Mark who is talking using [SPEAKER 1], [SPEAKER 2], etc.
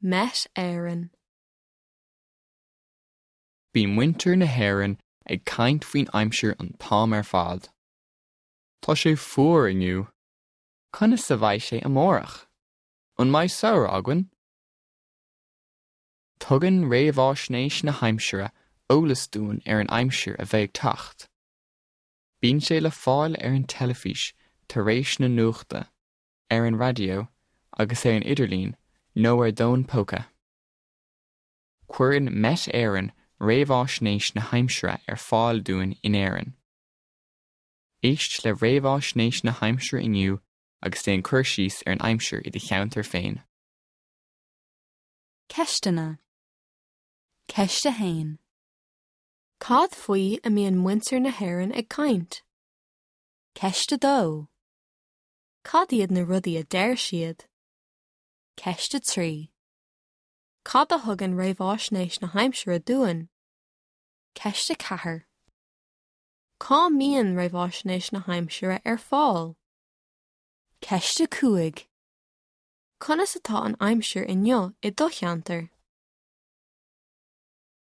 [SPEAKER 1] Met Éireann.
[SPEAKER 2] Bíonn muintir na hÉireann ag caint faoin aimsir an t-am ar fad. Tá sé fuar inniu. Conas a bheidh sé amárach? An mbeidh samhradh againn? Tugann réamhaisnéis na haimsire eolas dúinn ar an aimsir a bheidh ag teacht. Bíonn sé le fáil ar an teilifís tar éis na nuachta, ar an raidió agus ar an idirlíon nó ar d'fhón póca. Cuireann Met Éireann réamhaisnéis na haimsire ar fáil dúinn in Éirinn. Éist le réamhaisnéis na haimsire inniu agus déan cur síos ar an aimsir i do cheantar féin.
[SPEAKER 3] Ceisteanna. Ceist 1.
[SPEAKER 1] Cad faoi a mbíonn muintir na hÉireann ag caint?
[SPEAKER 3] Ceist 2.
[SPEAKER 1] Cad iad na rudaí a deir siad?
[SPEAKER 3] Ceist 3.
[SPEAKER 1] Cad a thugann réamhaisnéis na haimsire dúinn?
[SPEAKER 3] Ceist 4.
[SPEAKER 1] Cá mbíonn réamhaisnéis na haimsire ar fáil?
[SPEAKER 3] Ceist 5.
[SPEAKER 1] Conas atá an aimsir inniu i do cheantar?